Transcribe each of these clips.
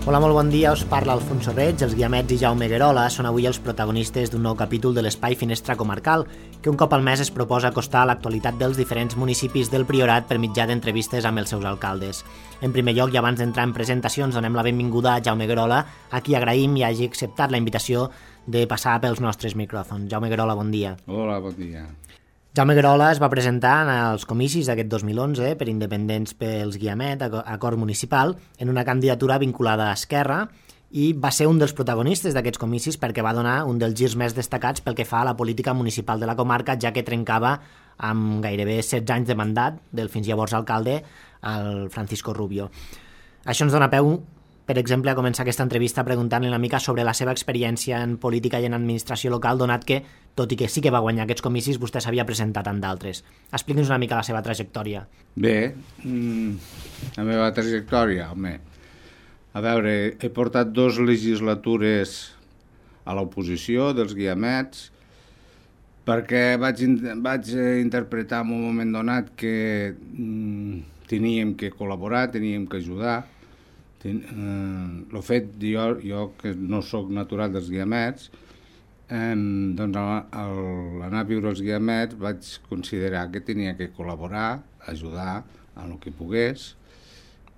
Hola, molt bon dia, us parla Alfonso Reig. Els Guiamets i Jaume Guerola són avui els protagonistes d'un nou capítol de l'Espai Finestra Comarcal, que un cop al mes es proposa acostar a l'actualitat dels diferents municipis del Priorat per mitjà d'entrevistes amb els seus alcaldes. En primer lloc, i abans d'entrar en presentacions, donem la benvinguda a Jaume Guerola, a qui agraïm i hagi acceptat la invitació de passar pels nostres micròfons. Jaume Guerola, bon dia. Hola, bon dia. Jaume Guerola es va presentar als comicis d'aquest 2011 per Independents pels Guiamet, acord municipal, en una candidatura vinculada a Esquerra, i va ser un dels protagonistes d'aquests comicis perquè va donar un dels girs més destacats pel que fa a la política municipal de la comarca, ja que trencava amb gairebé 16 anys de mandat del fins llavors alcalde, el Francisco Rubio. Això ens dona peu, per exemple, a començar aquesta entrevista preguntant-li una mica sobre la seva experiència en política i en administració local, donat que, tot i que sí que va guanyar aquests comicis, vostè s'havia presentat en d'altres. Expliqui'ns una mica la seva trajectòria. Bé, la meva trajectòria, home, a veure, he portat 2 legislatures a l'oposició dels Guiamets perquè vaig interpretar en un moment donat que teníem que col·laborar, teníem que ajudar. El fet, jo que no sóc natural dels Guiamets, doncs l'anar a viure als Guiamets vaig considerar que tenia que col·laborar, ajudar en el que pogués,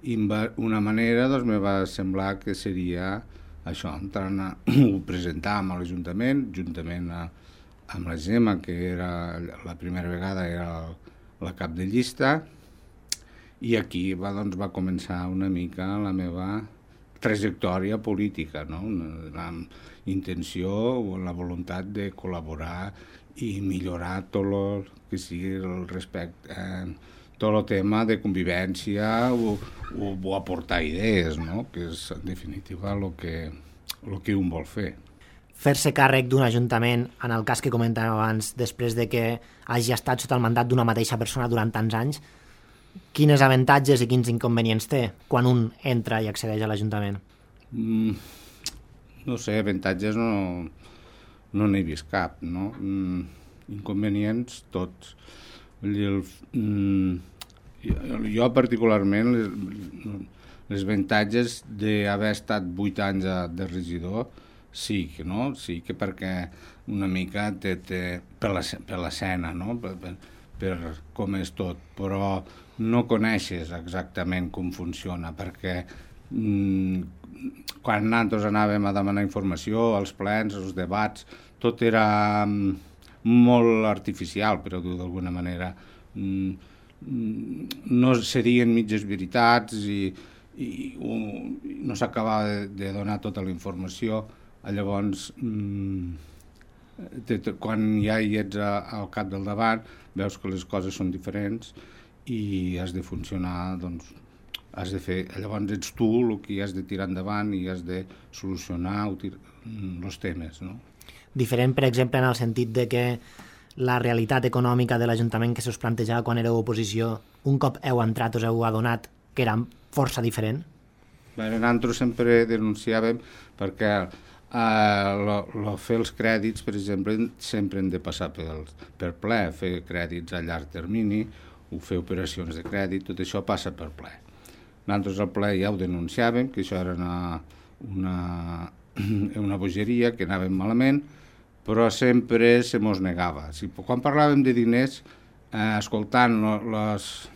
i una manera doncs, me va semblar que seria això, entrant a presentar a l'Ajuntament, juntament amb la Gemma, que era la primera vegada era la cap de llista, i aquí va començar una mica la meva trajectòria política, no? La intenció o la voluntat de col·laborar i millorar tot el que sigui el respecte, tot el tema de convivència o aportar idees, no? Que és en definitiva el que un vol fer. Fer-se càrrec d'un ajuntament, en el cas que comentàvem abans, després de que hagi estat sota el mandat d'una mateixa persona durant tants anys, quines avantatges i quins inconvenients té quan un entra i accedeix a l'Ajuntament? No sé, avantatges no n'he vist cap, no? Inconvenients tots. Jo particularment les avantatges d'haver estat 8 anys de regidor sí que perquè una mica per l'escena, no? Per com és tot, però no coneixes exactament com funciona, perquè quan nosaltres anàvem a demanar informació, els plens, els debats, tot era molt artificial, per dir-ho d'alguna manera. No serien mitges veritats i no s'acabava de donar tota la informació. Llavors, quan ja hi ets al cap del davant, veus que les coses són diferents i has de funcionar, doncs, has de fer, llavors ets tu el que has de tirar endavant i has de solucionar els temes, no? Diferent, per exemple, en el sentit de que la realitat econòmica de l'Ajuntament que se us plantejava quan éreu oposició, un cop heu entrat us heu adonat que era força diferent? Nosaltres sempre denunciàvem perquè fer els crèdits, per exemple, sempre hem de passar per ple, fer crèdits a llarg termini, o fer operacions de crèdit, tot això passa per ple. Nosaltres al ple ja ho denunciàvem, que això era una bogeria, que anàvem malament, però sempre se mos negava. Quan parlàvem de diners, escoltant els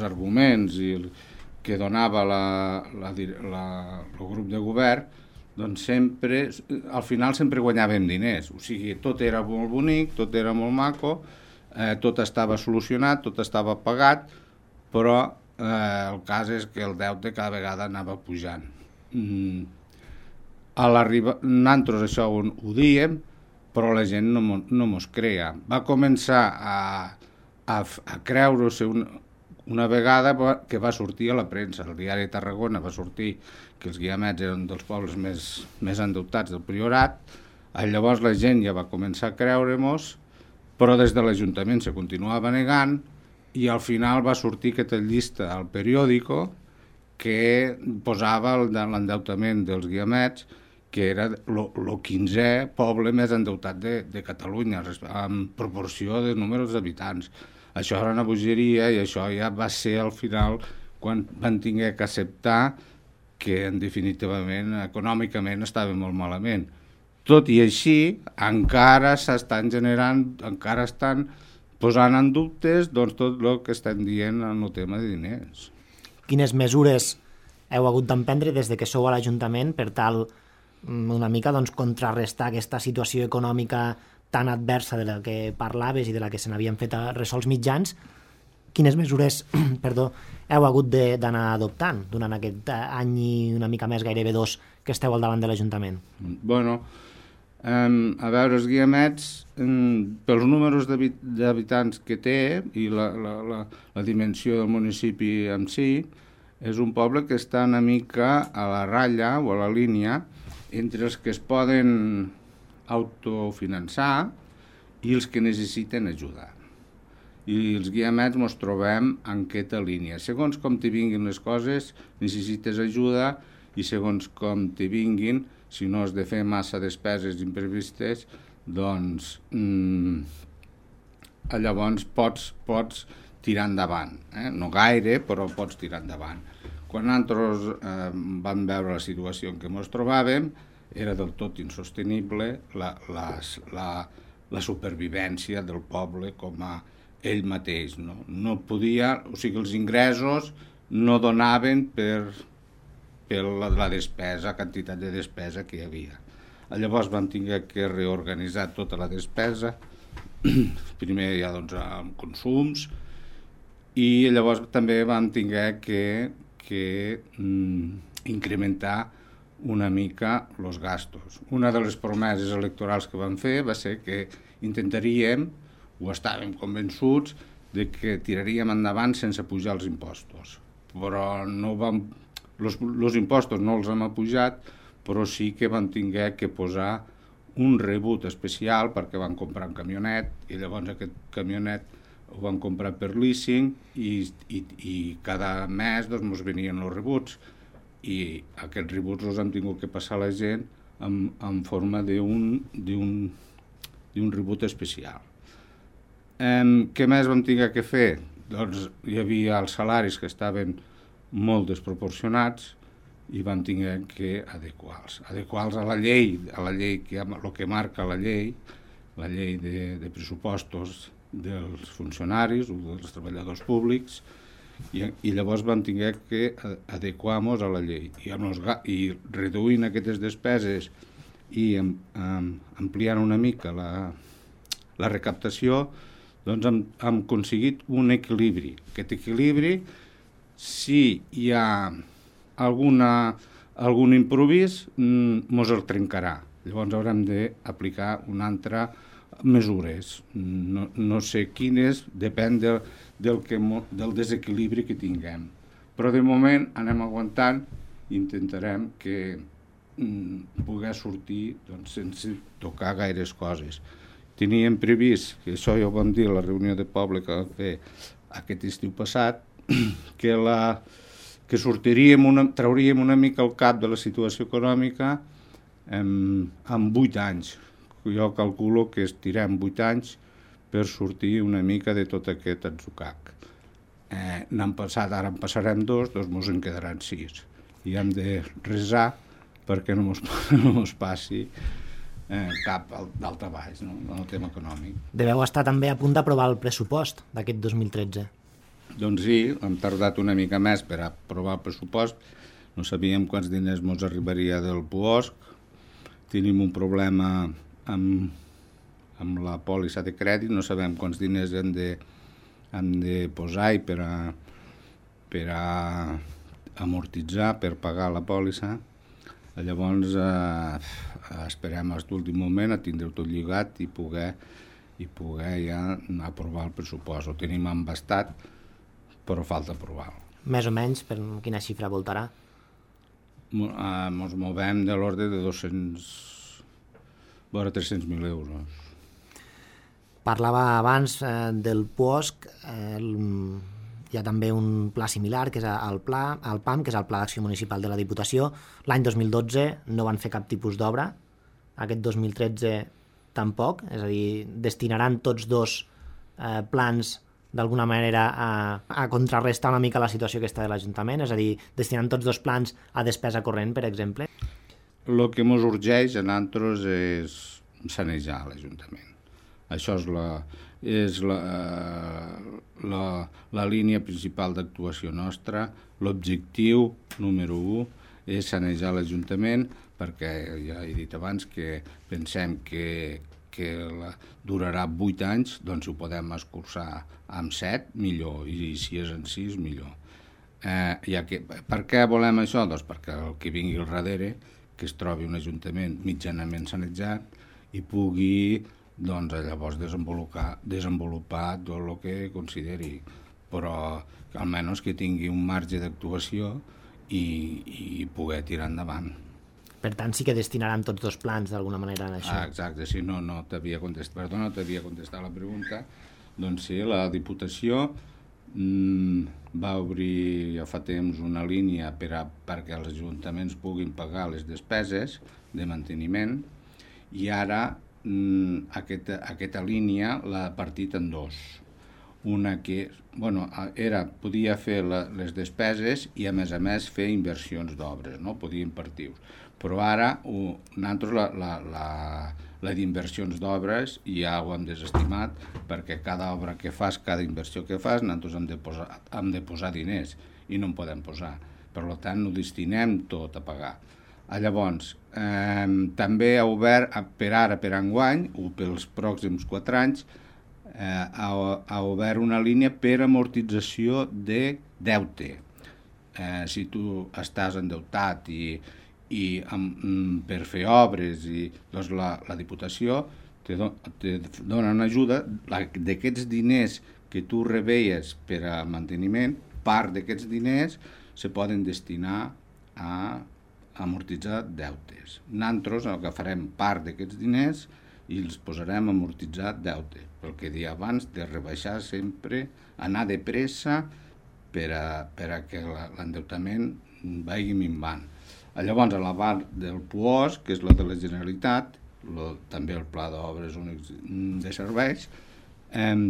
arguments que donava el grup de govern, doncs al final sempre guanyàvem diners. O sigui, tot era molt bonic, tot era molt maco, tot estava solucionat, tot estava pagat, però el cas és que el deute cada vegada anava pujant. Nosaltres això ho diem, però la gent no mos creia. Va començar a creure-se una vegada que va sortir a la premsa, el diari de Tarragona va sortir que els Guiamets eren dels pobles més endeutats del Priorat, llavors la gent ja va començar a creure-mos, però des de l'Ajuntament se continuava negant i al final va sortir aquesta llista al periòdico que posava l'endeutament dels Guiamets, que era el 15è poble més endeutat de Catalunya, en proporció de número d'habitants. Això era una bogeria i això ja va ser al final quan van tenir que acceptar que, en definitivament, econòmicament estava molt malament. Tot i així, encara s'estan generant, encara estan posant en dubtes doncs, tot el que estem dient en el tema de diners. Quines mesures heu hagut d'emprendre des de que sou a l'Ajuntament per tal una mica doncs, contrarrestar aquesta situació econòmica tan adversa de la que parlaves i de la que se n'havien fet ressò els mitjans? Quines mesures heu hagut d'anar adoptant durant aquest any i una mica més, gairebé 2, que esteu al davant de l'Ajuntament? Bueno, a veure, els Guiamets, pels números d'habitants que té i la dimensió del municipi en si, és un poble que està una mica a la ratlla o a la línia entre els que es poden autofinançar i els que necessiten ajuda. I els Guiamets ens trobem en aquesta línia. Segons com te vinguin les coses, necessites ajuda, i segons com te vinguin, si no has de fer massa despeses imprevistes, doncs llavors pots tirar endavant. No gaire, però pots tirar endavant. Quan nosaltres vam veure la situació en què ens trobàvem, era del tot insostenible la supervivència del poble com a ell mateix. No podia, o sigui, els ingressos no donaven per la despesa, quantitat de despesa que hi havia. Llavors vam haver que reorganitzar tota la despesa, primer ja doncs amb consums, i llavors també vam haver que incrementar una mica els gastos. Una de les promeses electorals que vam fer va ser que intentaríem, o estàvem convençuts, de que tiraríem endavant sense pujar els impostos. Però no vam... Els impostos no els hem apujat, però sí que vam haver que posar un rebut especial perquè van comprar un camionet, i llavors aquest camionet ho van comprar per leasing i cada mes doncs, ens venien els rebuts, i aquests rebuts els hem tingut que passar a la gent en forma d'un rebut especial. Què més vam haver que fer? Doncs hi havia els salaris que estaven molt desproporcionats i vam haver que adequar-los a la llei, el que marca la llei de pressupostos dels funcionaris o dels treballadors públics, i llavors vam haver que adequar-nos a la llei. I reduint aquestes despeses i ampliant una mica la recaptació, doncs hem aconseguit un equilibri. Aquest equilibri, si hi ha algun improvís, ens el trencarà. Llavors haurem d'aplicar una altra mesures. No sé quines, depèn del desequilibri que tinguem. Però de moment anem aguantant i intentarem que poder sortir doncs, sense tocar gaires coses. Teníem previst, que això ja ho vam dir a la reunió de poble que vam fer aquest estiu passat, que trauríem una mica el cap de la situació econòmica en 8 anys. Jo calculo que estirem 8 anys per sortir una mica de tot aquest atzucac. N'han passat, ara en passarem 2, doncs ens en quedaran 6. I hem de resar perquè no ens passi cap d'alta baix, no? En el tema econòmic. Deveu estar també a punt d'aprovar el pressupost d'aquest 2013. Doncs sí, hem tardat una mica més per aprovar el pressupost. No sabíem quants diners ens arribaria del PUOSC. Tenim un problema amb la pòlissa de crèdit, no sabem quants diners hem de posar per a amortitzar, per pagar la pòlissa. Llavors esperem a l'últim moment a tindre tot lligat i poder ja aprovar el pressupost. Ho tenim embastat, però falta aprovar-lo. Més o menys, per quina xifra voltarà? Ens movem de l'ordre de 300.000 euros. Parlava abans del PUOSC, hi ha també un pla similar, que és el PAM, que és el Pla d'Acció Municipal de la Diputació. L'any 2012 no van fer cap tipus d'obra, aquest 2013 tampoc, és a dir, destinaran tots dos plans d'alguna manera a contrarrestar una mica la situació aquesta de l'Ajuntament, és a dir, destinant tots dos plans a despesa corrent, per exemple? El que ens urgeix a nosaltres és sanejar l'Ajuntament. Això és la línia principal d'actuació nostra. L'objectiu número 1 és sanejar l'Ajuntament, perquè ja he dit abans que pensem que durarà 8 anys, doncs si ho podem escurçar amb 7, millor, i si és en 6, millor. Per què volem això? Doncs perquè el que vingui al darrere, que es trobi un ajuntament mitjanament sanejat i pugui llavors desenvolupar tot el que consideri, però que almenys que tingui un marge d'actuació i poder tirar endavant. Per tant, sí que destinaran tots dos plans d'alguna manera en això. Exacte, si no t'havia contestat. Perdona, t'havia contestat la pregunta. Doncs sí, la Diputació va obrir ja fa temps una línia perquè els ajuntaments puguin pagar les despeses de manteniment, i ara aquesta línia l'ha partit en dos. Una que podia fer les despeses i a més fer inversions d'obres, no? Podia impartir-ho. Però ara nosaltres la d'inversions d'obres ja ho hem desestimat, perquè cada obra que fas, cada inversió que fas, nosaltres hem de posar diners i no en podem posar. Per tant, ho destinem tot a pagar. Llavors, també ha obert per enguany, o pels pròxims 4 anys, ha obert una línia per amortització de deute. Si tu estàs endeutat i per fer obres, doncs la Diputació te dona una ajuda d'aquests diners que tu rebeies per a manteniment. Part d'aquests diners se poden destinar a amortitzar deutes. Nosaltres el que farem part d'aquests diners i els posarem a amortitzar deute. Pel que deia abans, de rebaixar sempre, anar de pressa per a que l'endeutament vagi minvant. Llavors, a la part del PUOS, que és la de la Generalitat, també el Pla d'Obres Únics de Serveis,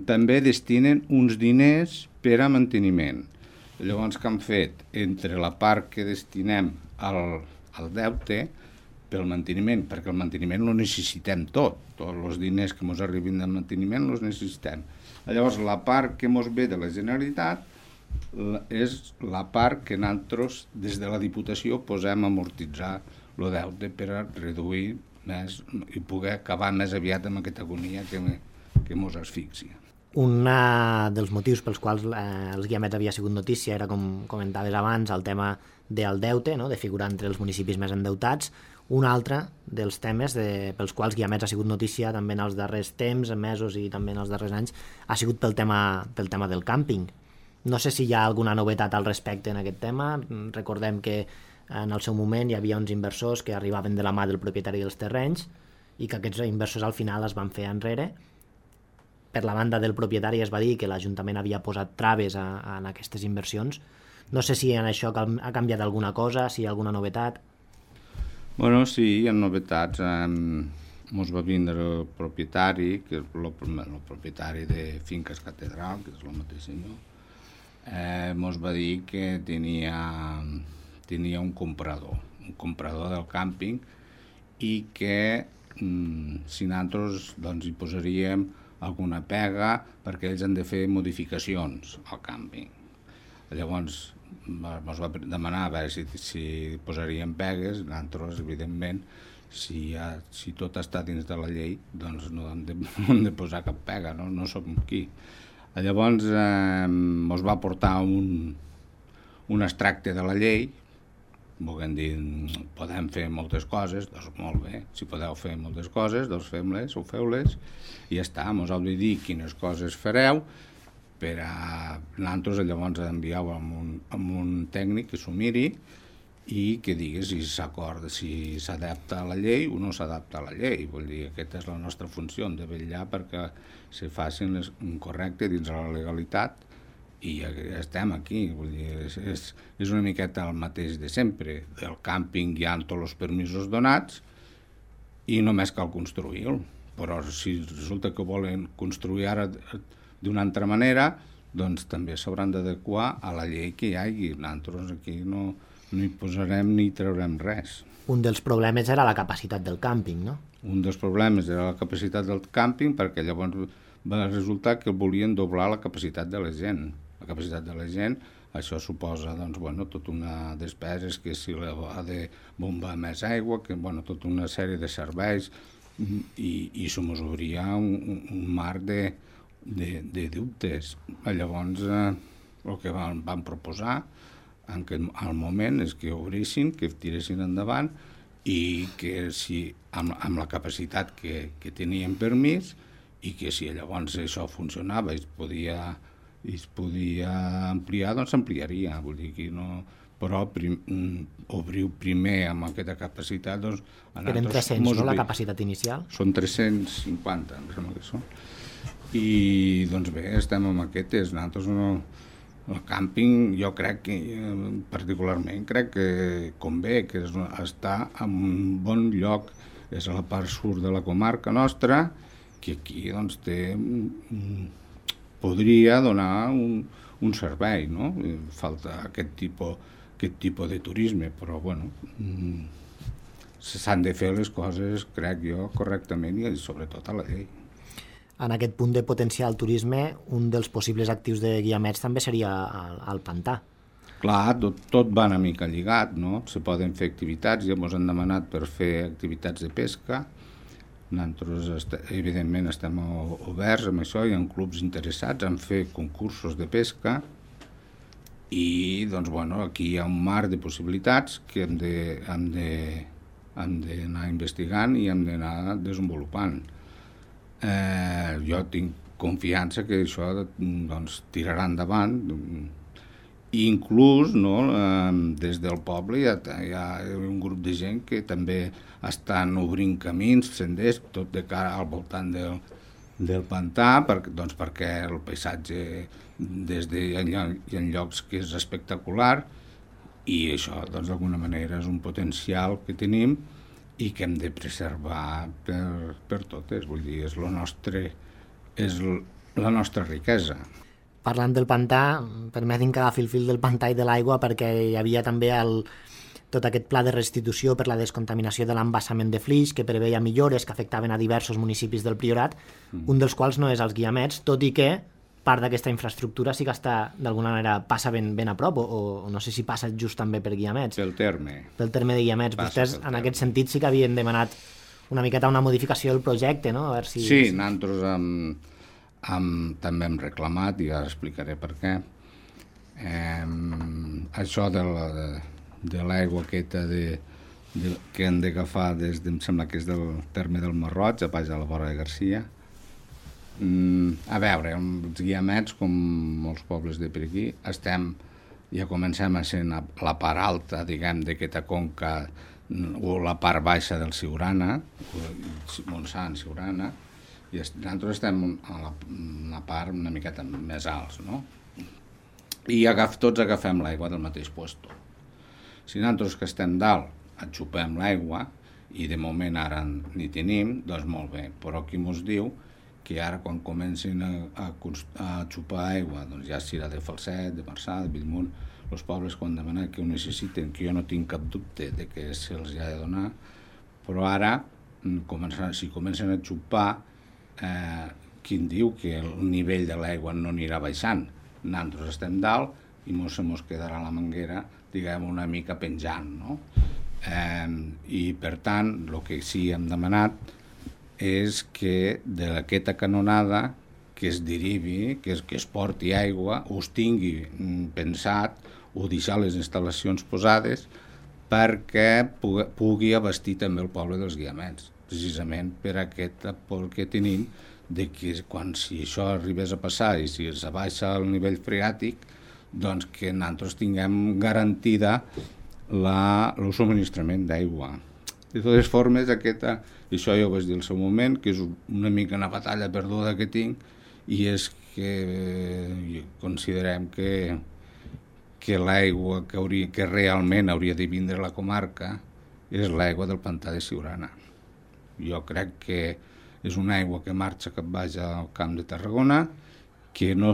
també destinen uns diners per a manteniment. Llavors, què han fet? Entre la part que destinem al deute, pel manteniment, perquè el manteniment lo necessitem tots els diners que ens arribin de manteniment els necessitem. Llavors, la part que ens ve de la Generalitat és la part que nosaltres, des de la Diputació, posem a amortitzar el deute per a reduir més i poder acabar més aviat amb aquesta agonia que ens asfixia. Un dels motius pels quals els Guiamets havia sigut notícia era, com comentaves abans, el tema del deute, no? De figurar entre els municipis més endeutats. Un altre dels temes pels quals Guiamets ha sigut notícia també en els darrers temps, mesos i també en els darrers anys, ha sigut pel tema del càmping. No sé si hi ha alguna novetat al respecte en aquest tema. Recordem que en el seu moment hi havia uns inversors que arribaven de la mà del propietari dels terrenys i que aquests inversors al final es van fer enrere. Per la banda del propietari es va dir que l'Ajuntament havia posat traves en aquestes inversions. No sé si en això ha canviat alguna cosa, si hi ha alguna novetat. Bueno, sí, hi ha novetats. Ens va vindre el propietari, que és el propietari de Finques Catedral, que és el mateix senyor. Ens va dir que tenia un comprador del càmping, i que si nosaltres hi posaríem alguna pega perquè ells han de fer modificacions al càmping. Llavors ens va demanar a veure si posaríem pegues. Nosaltres, evidentment, si tot està dins de la llei, doncs no hem de posar cap pega, no som qui. Llavors ens va portar un extracte de la llei, volent dir, podem fer moltes coses, doncs molt bé, si podeu fer moltes coses, doncs fem-les o feu-les, i ja està, ens heu de dir quines coses fareu, per a nosaltres llavors envieu amb un tècnic que s'ho miri i que digui si s'acorda, si s'adapta a la llei o no s'adapta a la llei. Vull dir, aquesta és la nostra funció, de vetllar perquè se facin les correctes dins de la legalitat, i ja estem aquí. Vull dir, és una miqueta el mateix de sempre. El càmping hi ha tots els permisos donats i només cal construir-lo. Però si resulta que volen construir ara d'una altra manera, doncs també s'hauran d'adequar a la llei que hi hagi. Nosaltres aquí no hi posarem ni hi traurem res. Un dels problemes era la capacitat del càmping, no? Un dels problemes era la capacitat del càmping, perquè llavors va resultar que volien doblar la capacitat de la gent. La capacitat de la gent, això suposa tota una despeses, que si ha de bombar més aigua, que tota una sèrie de serveis, i se mos obria un mar de dubtes. Llavors, el que van proposar al moment és que obrissin, que tiressin endavant, i que si amb la capacitat que tenien permís, i que si llavors això funcionava i es podia ampliar, doncs s'ampliaria. Vull dir que no... Però obriu primer amb aquesta capacitat... Doncs, eren 300, no, la capacitat inicial? Són 350, em sembla que són. I, doncs bé, estem amb aquestes. Nosaltres no... El càmping, jo crec que, particularment, crec que convé, que està en un bon lloc. És a la part sud de la comarca nostra, que aquí doncs, podria donar un servei, no? Falta aquest tipus de turisme, però bueno, s'han de fer les coses, crec jo, correctament i sobretot a la llei. En aquest punt de potenciar el turisme, un dels possibles actius de Guiamets també seria el pantà. Clar, tot va una mica lligat, no? Se poden fer activitats, ja ens han demanat per fer activitats de pesca. Nosaltres, evidentment, estem oberts amb això, hi ha clubs interessats en fer concursos de pesca i, doncs, bueno, aquí hi ha un mar de possibilitats que hem d'anar investigant i hem d'anar desenvolupant. Jo tinc confiança que això doncs, tirarà endavant. Inclús, no, des del poble hi ha un grup de gent que també estan obrint camins, senders, tot de cara al voltant del pantà, perquè el paisatge hi ha llocs que és espectacular i això d'alguna manera és un potencial que tenim i que hem de preservar per totes. Vull dir, és la nostra riquesa. Parlant del pantà, permetin que agafi el fil del pantà i de l'aigua, perquè hi havia també tot aquest pla de restitució per la descontaminació de l'embassament de Flix, que preveia millores que afectaven a diversos municipis del Priorat, un dels quals no és els Guiamets, tot i que part d'aquesta infraestructura sí que està, d'alguna manera, passa ben a prop, o no sé si passa just també per Guiamets. Pel terme de Guiamets. Vostès, en aquest sentit, sí que havien demanat una miqueta una modificació del projecte, no? A veure si... Sí, nosaltres també hem reclamat, i ara explicaré per què. Això de l'aigua aquesta que han d'agafar em sembla que és del terme del Marroig, a baix de la vora de Garcia. A veure, els Guiamets, com molts pobles de per aquí, ja comencem a ser la part alta, diguem, d'aquesta conca, o la part baixa del Siurana, Montsant, Siurana, i nosaltres estem a la part una miqueta més alts, no? I tots agafem l'aigua del mateix lloc. Si nosaltres que estem dalt xupem l'aigua, i de moment ara n'hi tenim, doncs molt bé, però qui mos diu que ara quan comencin a xupar aigua, doncs ja serà de Falset, de Marçà, de Bellmunt, els pobles quan demanen que ho necessiten, que jo no tinc cap dubte de que se'ls ha de donar, però ara, si comencen a xupar, qui diu que el nivell de l'aigua no anirà baixant? Nosaltres estem dalt i mos quedarà la manguera, diguem, una mica penjant, no? I per tant, el que sí hem demanat és que d'aquesta canonada que es derivi, que es porti aigua, o es tingui pensat, o deixar les instal·lacions posades perquè pugui abastir també el poble dels Guiamets, precisament per aquest aport que tenim de que si això arribés a passar i si es baixa el nivell freàtic, doncs que nosaltres tinguem garantida el subministrament d'aigua. De totes formes, això ja ho vaig dir al seu moment, que és una mica una batalla perduda que tinc, i és que considerem que l'aigua que realment hauria de vindre a la comarca és l'aigua del pantà de Siurana. Jo crec que és una aigua que marxa cap baix al Camp de Tarragona, que no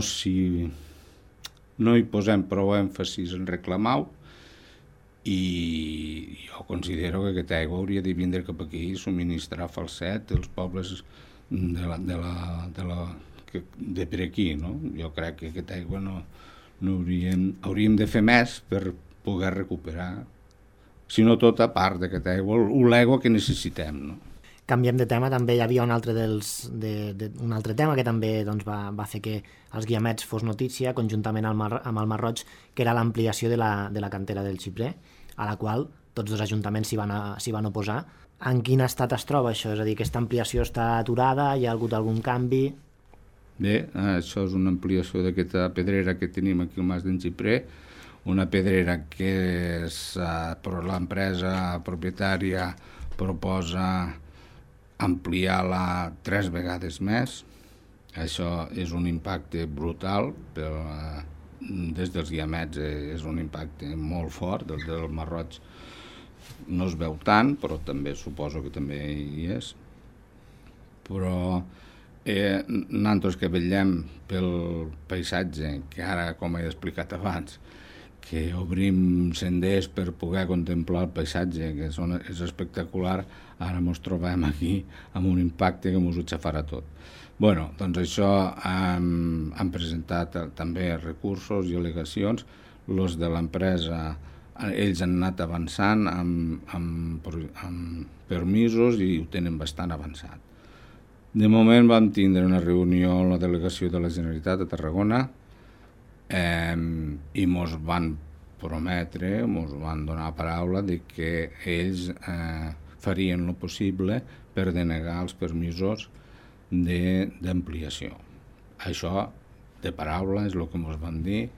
hi posem prou èmfasis en reclamar-ho, i jo considero que aquesta aigua hauria de vindre cap aquí i subministrar falset als pobles de per aquí, no? Jo crec que aquesta aigua no hauríem de fer més per poder recuperar, si no tota part d'aquesta aigua, l'aigua que necessitem, no? Canviem de tema, també hi havia un altre tema que també doncs, va fer que els guiamets fos notícia conjuntament amb el Mar Roig, que era l'ampliació de la cantera del Xiprer, a la qual tots dos ajuntaments s'hi van oposar. En quin estat es troba això? És a dir, aquesta ampliació està aturada? Hi ha hagut algun canvi? Bé, això és una ampliació d'aquesta pedrera que tenim aquí al Mas d'en Xiprer, una pedrera que l'empresa propietària proposa ampliar-la 3 vegades més. Això és un impacte brutal, però des dels guiamets és un impacte molt fort, del Mar Roig no es veu tant, però també suposo que també hi és. Però nosaltres que vetllem pel paisatge, que ara, com he explicat abans, que obrim senders per poder contemplar el paisatge, que és espectacular, ara ens trobem aquí amb un impacte que ens ho xafarà tot. Bueno, doncs això han presentat també recursos i al·legacions. Els de l'empresa, ells han anat avançant amb permisos i ho tenen bastant avançat. De moment vam tindre una reunió amb la delegació de la Generalitat a Tarragona i ens van prometre, ens van donar paraula de que ells farien el possible per denegar els permisos d'ampliació. Això, de paraula, és el que ens van dir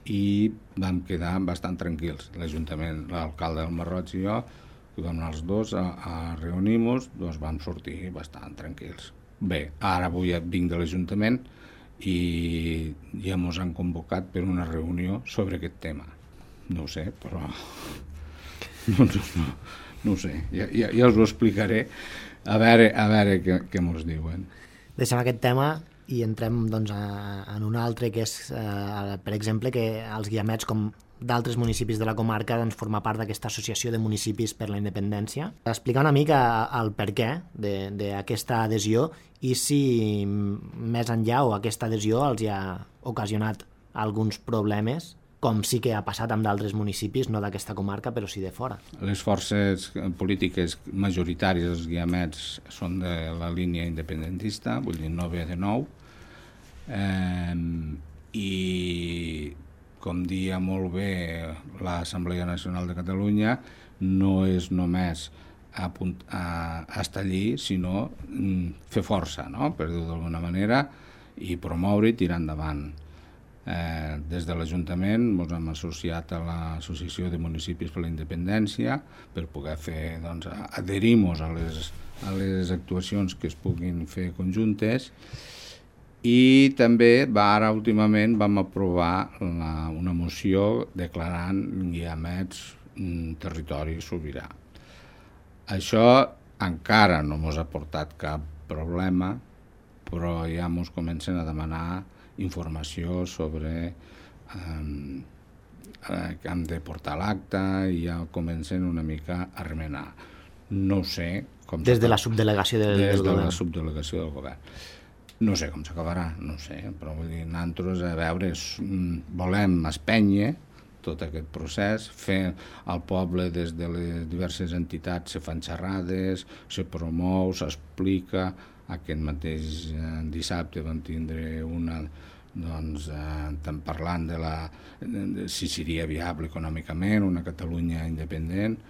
i vam quedar bastant tranquils. L'Ajuntament, l'alcalde del Mar Roig i jo, que vam anar els dos a reunir-nos, doncs vam sortir bastant tranquils. Bé, ara avui vinc de l'Ajuntament i ja ens han convocat per una reunió sobre aquest tema. No ho sé, però no ho sé, ja us ho explicaré a veure què ens diuen. Deixem aquest tema i entrem doncs, en un altre, que és, per exemple, que els guiamets, com d'altres municipis de la comarca, doncs, forma part d'aquesta associació de municipis per la independència. Explicar una mica el perquè d'aquesta adhesió i si més enllà o aquesta adhesió els ha ocasionat alguns problemes, com sí que ha passat amb d'altres municipis, no d'aquesta comarca, però sí de fora. Les forces polítiques majoritàries dels guiamets són de la línia independentista, vull dir, no ve de nou, i com dia molt bé l'Assemblea Nacional de Catalunya, no és només estar allí, sinó fer força, no? Per dir-ho d'alguna manera, i promoure i tirar endavant. Des de l'Ajuntament ens hem associat a l'Associació de Municipis per la Independència per poder fer, doncs, adherir-nos a les actuacions que es puguin fer conjuntes, i també ara últimament vam aprovar una moció declarant guiamets territori sobirà. Això encara no ens ha portat cap problema, però ja ens comencen a demanar informació sobre que hem de portar l'acte i ja comencen una mica a remenar. No sé com... Des de la subdelegació del govern. Des de la subdelegació del govern. No sé com s'acabarà, no sé, però vull dir, nosaltres, a veure, volem espènyer tot aquest procés, fer al poble des de les diverses entitats, se fan xerrades, se promou, s'explica. Aquest mateix dissabte vam tindre una, doncs, parlant de si seria viable econòmicament una Catalunya independent.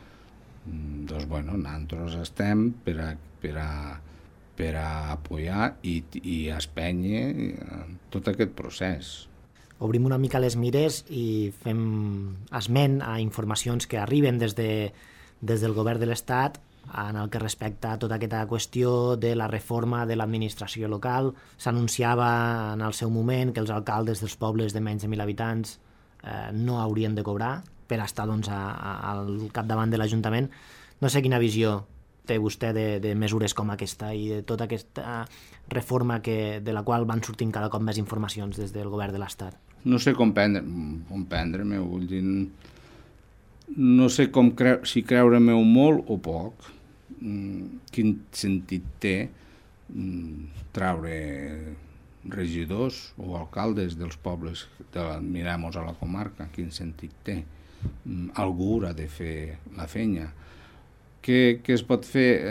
Doncs, bueno, nosaltres estem per a apoyar i espènyer tot aquest procés. Obrim una mica les mires i fem esment a informacions que arriben des del govern de l'Estat en el que respecta a tota aquesta qüestió de la reforma de l'administració local. S'anunciava en el seu moment que els alcaldes dels pobles de menys de 1.000 habitants no haurien de cobrar per estar, doncs, al capdavant de l'Ajuntament. No sé quina visió té vostè de mesures com aquesta i de tota aquesta reforma de la qual van sortint cada cop més informacions des del govern de l'Estat? No sé com prendre-me, vull dir, no sé si creure-me-ho molt o poc, quin sentit té traure regidors o alcaldes dels pobles mirem-nos a la comarca, quin sentit té. Algú haurà de fer la feina. Què es pot fer?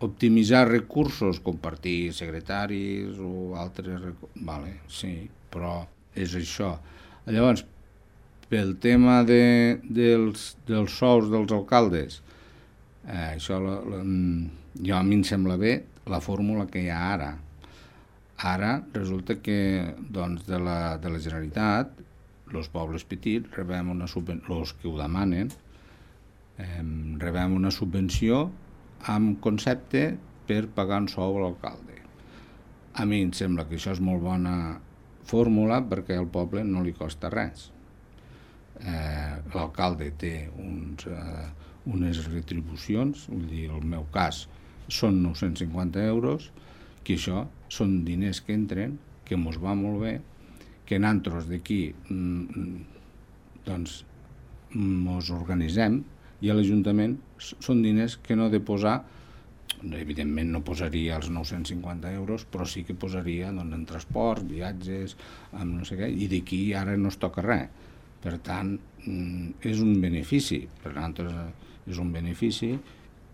Optimitzar recursos, compartir secretaris o altres recursos. Vale, sí, però és això. Llavors, pel tema dels sous dels alcaldes, això jo a mi em sembla bé la fórmula que hi ha ara. Ara resulta que doncs, de la Generalitat, els pobles petits rebem una subvenció, els que ho demanen, rebem una subvenció amb concepte per pagar un sou a l'alcalde. A mi em sembla que això és molt bona fórmula perquè al poble no li costa res. L'alcalde té unes retribucions, vull dir, en el meu cas són 950 euros, que això són diners que entren, que mos va molt bé, que nosaltres d'aquí doncs mos organitzem i a l'Ajuntament són diners que no he de posar, evidentment no posaria els 950 euros, però sí que posaria doncs, en transports, viatges, amb no sé què, i d'aquí ara no es toca res. Per tant, és un benefici, per nosaltres és un benefici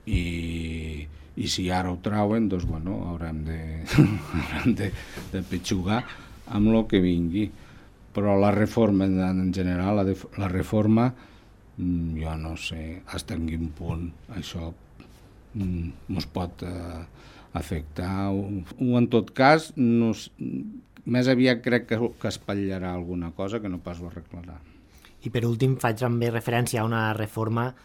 i si ara ho trauen, doncs, bueno, haurem de petxugar amb el que vingui. Però la reforma, en general, la reforma, jo no sé fins a quin punt això ens pot afectar. O en tot cas, més aviat crec que espatllarà alguna cosa que no pas ho arreglarà. I per últim faig també referència a una reforma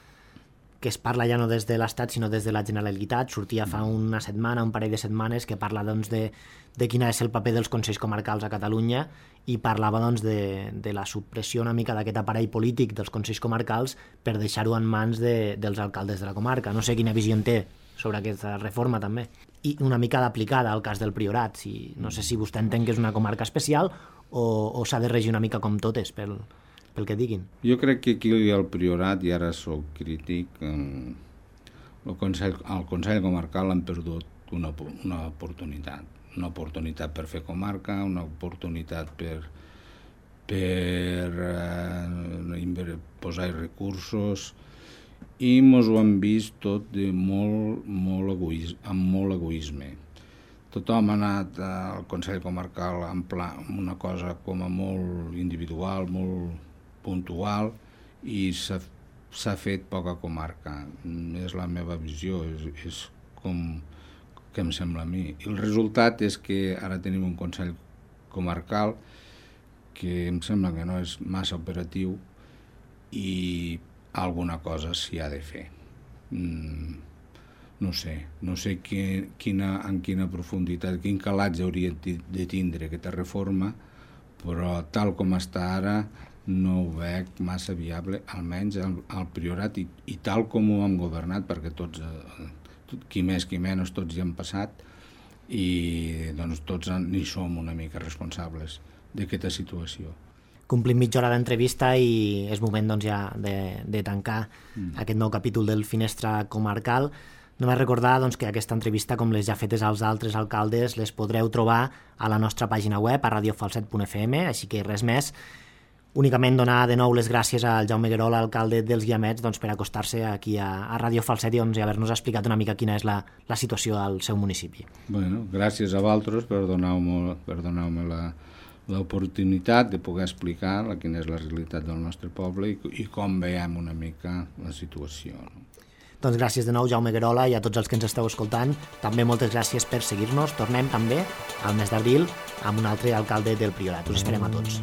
que es parla ja no des de l'Estat sinó des de la Generalitat. Sortia fa una setmana, un parell de setmanes, que parla doncs, de quin és el paper dels Consells Comarcals a Catalunya i parlava doncs, de la supressió una mica d'aquest aparell polític dels Consells Comarcals per deixar-ho en mans dels alcaldes de la comarca. No sé quina visió en té sobre aquesta reforma també. I una mica d'aplicada al cas del Priorat. No sé si vostè entén que és una comarca especial o s'ha de regir una mica com totes pel que diguin. Jo crec que aquí al Priorat, i ara soc crític, el Consell Comarcal han perdut una oportunitat per fer comarca, una oportunitat per posar recursos, i ens ho han vist tot amb molt egoisme. Tothom ha anat al Consell Comarcal amb una cosa com a molt individual, molt puntual, i s'ha fet poca comarca. És la meva visió, és com que em sembla a mi. I el resultat és que ara tenim un Consell Comarcal que em sembla que no és massa operatiu i alguna cosa s'hi ha de fer. No sé en quina profunditat, quin calatge hauria de tindre aquesta reforma, però tal com està ara no ho veig massa viable, almenys al Priorat, i tal com ho hem governat, perquè tots, qui més qui menys, tots hi han passat, i doncs tots n'hi som una mica responsables d'aquesta situació. Complim mitja hora d'entrevista i és moment doncs, ja de tancar aquest nou capítol del Finestra Comarcal. Només recordar doncs, que aquesta entrevista, com les ja fetes als altres alcaldes, les podreu trobar a la nostra pàgina web, a radiofalset.fm, així que res més. Únicament donar de nou les gràcies al Jaume Guerola, alcalde dels Guiamets, doncs, per acostar-se aquí a Radio Falset i haver-nos explicat una mica quina és la situació al seu municipi. Bueno, gràcies a vosaltres per donar-me l'oportunitat de poder explicar quina és la realitat del nostre poble i com veiem una mica la situació. Doncs gràcies de nou, Jaume Guerola, i a tots els que ens esteu escoltant. També moltes gràcies per seguir-nos. Tornem també al mes d'abril amb un altre alcalde del Priorat. Us esperem a tots.